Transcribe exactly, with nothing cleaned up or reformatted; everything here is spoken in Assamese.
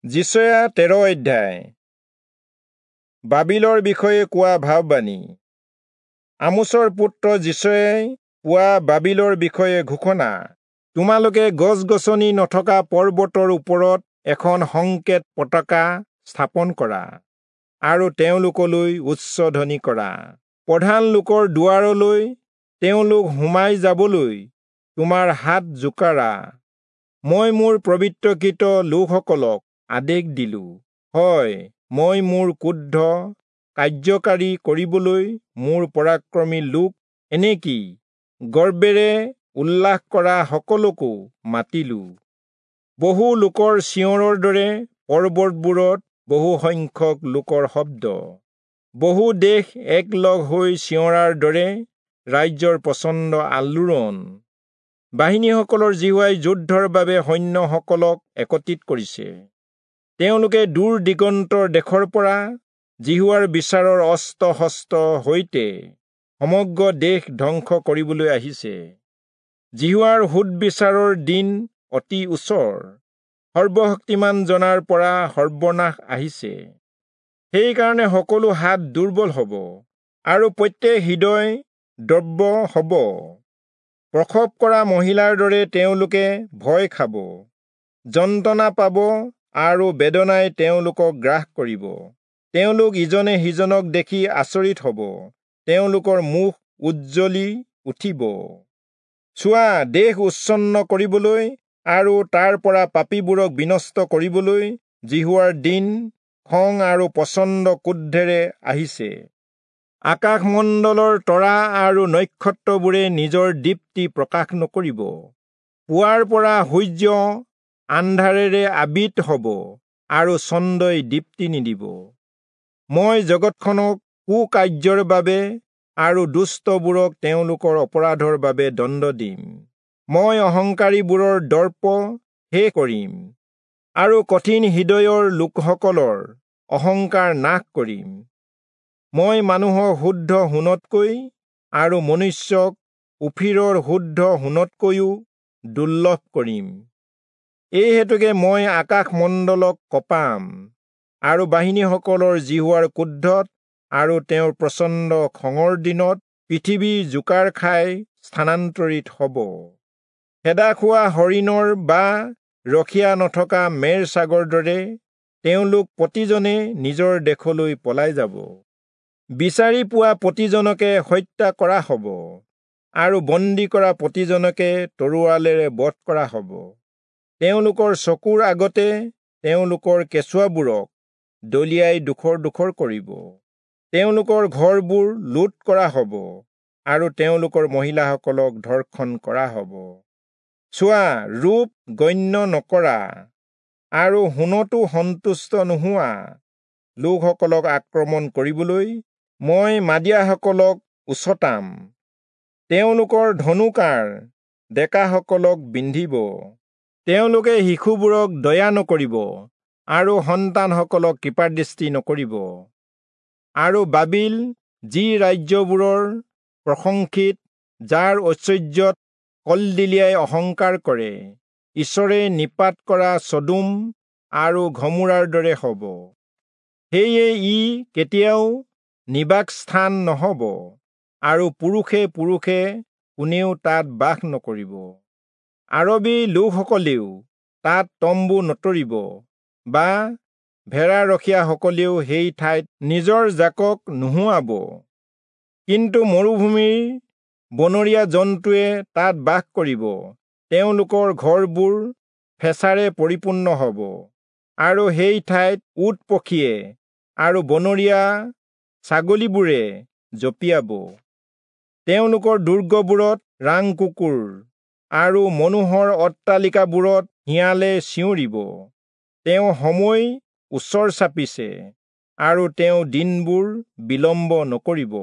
যিচয়া তেৰ অধ্যায়। বাবিলৰ বিষয়ে কোৱা ভাববাণী। আমোচৰ পুত্ৰ যিচয়াই পোৱা বাবিলৰ বিষয়ে ঘোষণা। তোমালোকে গছ গছনি নথকা পৰ্বতৰ ওপৰত এখন সংকেত পতাকা স্থাপন কৰা আৰু তেওঁলোকলৈ উচ্চধ্বনি কৰা। প্ৰধান লোকৰ দুৱাৰলৈ তেওঁলোক সোমাই যাবলৈ তোমাৰ হাত জোকাৰা। মই মোৰ পবিত্ৰকৃত লোকসকলক আদেশ দিলো, হয়, মই মোৰ ক্ৰোধ কাৰ্যকাৰী কৰিবলৈ মোৰ পৰাক্ৰমী লোক, এনেকি গৰ্বেৰে উল্লাস কৰা সকলকো মাতিলো। বহু লোকৰ চিঞৰৰ দৰে পৰ্বতবোৰত বহু সংখ্যক লোকৰ শব্দ, বহু দেশ একলগ হৈ চিঞৰাৰ দৰে ৰাজ্যৰ প্ৰচণ্ড আলোড়ন। বাহিনীসকলৰ যিহোৱাই যুদ্ধৰ বাবে সৈন্যসকলক একত্ৰিত কৰিছে। তেওঁলোকে দূৰ দিগন্তৰ দেশৰ পৰা যিহোৱাৰ বিচাৰৰ অস্ত্ৰ শস্ত্ৰৰ সৈতে সমগ্ৰ দেশ ধ্বংস কৰিবলৈ আহিছে। যিহোৱাৰ সোধবিচাৰৰ দিন অতি ওচৰ, সৰ্বশক্তিমান জনাৰ পৰা সৰ্বনাশ আহিছে। সেইকাৰণে সকলো হাত দুৰ্বল হ'ব আৰু প্ৰত্যেক হৃদয় দ্ৰব্য হ'ব। প্ৰসৱ কৰা মহিলাৰ দৰে তেওঁলোকে ভয় খাব, যন্ত্ৰণা পাব আৰু বেদনাই তেওঁলোকক গ্ৰাস কৰিব। তেওঁলোক ইজনে সিজনক দেখি আচৰিত হ'ব, তেওঁলোকৰ মুখ উজ্জ্বলি উঠিব। চোৱা, দেশ উচ্ছন্ন কৰিবলৈ আৰু তাৰ পৰা পাপীবোৰক বিনষ্ট কৰিবলৈ যিহোৱাৰ দিন খং আৰু প্ৰচণ্ড ক্ৰোধেৰে আহিছে। আকাশমণ্ডলৰ তৰা আৰু নক্ষত্ৰবোৰে নিজৰ দীপ্তি প্ৰকাশ নকৰিব। পুৱাৰ পৰা সূৰ্য আন্ধাৰেৰে আবৃত হ'ব আৰু চন্দ্ৰই দীপ্তি নিদিব। মই জগতখনক কুকাৰ্যৰ বাবে আৰু দুষ্টবোৰক তেওঁলোকৰ অপৰাধৰ বাবে দণ্ড দিম। মই অহংকাৰীবোৰৰ দৰ্প শেষ কৰিম আৰু কঠিন হৃদয়ৰ লোকসকলৰ অহংকাৰ নাশ কৰিম। মই মানুহক শুদ্ধ সোণতকৈ আৰু মনুষ্যক ওফিৰৰ শুদ্ধ সোণতকৈও দুৰ্লভ কৰিম। এই হেতুকে মই আকাশমণ্ডলক কঁপাম আৰু বাহিনীসকলৰ যিহোৱাৰ ক্ৰোধত আৰু তেওঁৰ প্ৰচণ্ড খঙৰ দিনত পৃথিৱী জোকাৰ খাই স্থানান্তৰিত হ'ব। খেদা খোৱা হৰিণৰ বা ৰখীয়া নথকা মেৰ ছাগৰ দৰে তেওঁলোক প্ৰতিজনে নিজৰ দেশলৈ পলাই যাব। বিচাৰি পোৱা প্ৰতিজনকে হত্যা কৰা হ'ব আৰু বন্দী কৰা প্ৰতিজনকে তৰোৱালেৰে বধ কৰা হ'ব। তেওঁলোকৰ চকুৰ আগতে তেওঁলোকৰ কেঁচুৱাবোৰক দলিয়াই ডোখৰ ডোখৰ কৰিব। তেওঁলোকৰ ঘৰবোৰ লুট কৰা হ'ব আৰু তেওঁলোকৰ মহিলাসকলক ধৰ্ষণ কৰা হ'ব। চোৱা, ৰূপ গণ্য নকৰা আৰু সোণতো সন্তুষ্ট নোহোৱা লোকসকলক আক্ৰমণ কৰিবলৈ মই মাদিয়াসকলক উচটাম। তেওঁলোকৰ ধনুকাঁড় ডেকাসকলক বিন্ধিব। তেওঁলোকে শিশুবোৰক দয়া নকৰিব আৰু সন্তানসকলক কৃপাদৃষ্টি নকৰিব। আৰু বাবিল, যি ৰাজ্যবোৰৰ প্ৰশংসিত, যাৰ ঐশ্বৰ্যত কলদিলিয়াই অহংকাৰ কৰে, ঈশ্বৰে নিপাত কৰা চদোম আৰু ঘমোৰাৰ দৰে হ'ব। সেয়ে ই কেতিয়াও নিবাসস্থান নহ'ব আৰু পুৰুষে পুৰুষে কোনেও তাত বাস নকৰিব। আৰবী লোকসকলেও তাত তম্বু নতৰিব বা ভেড়াৰখীয়াসকলেও সেই ঠাইত নিজৰ জাকক নোহোৱাব। কিন্তু মৰুভূমিৰ বনৰীয়া জন্তুৱে তাত বাস কৰিব। তেওঁলোকৰ ঘৰবোৰ ফেঁচাৰে পৰিপূৰ্ণ হ'ব আৰু সেই ঠাইত উট পক্ষীয়ে আৰু বনৰীয়া ছাগলীবোৰে জঁপিয়াব। তেওঁলোকৰ দুৰ্গবোৰত ৰাং কুকুৰ আৰু মনোহৰ অট্টালিকাবোৰত শিয়ালে চিঞৰিব। তেওঁ সময় ওচৰ চাপিছে আৰু তেওঁ দিনবোৰ বিলম্ব নকৰিব।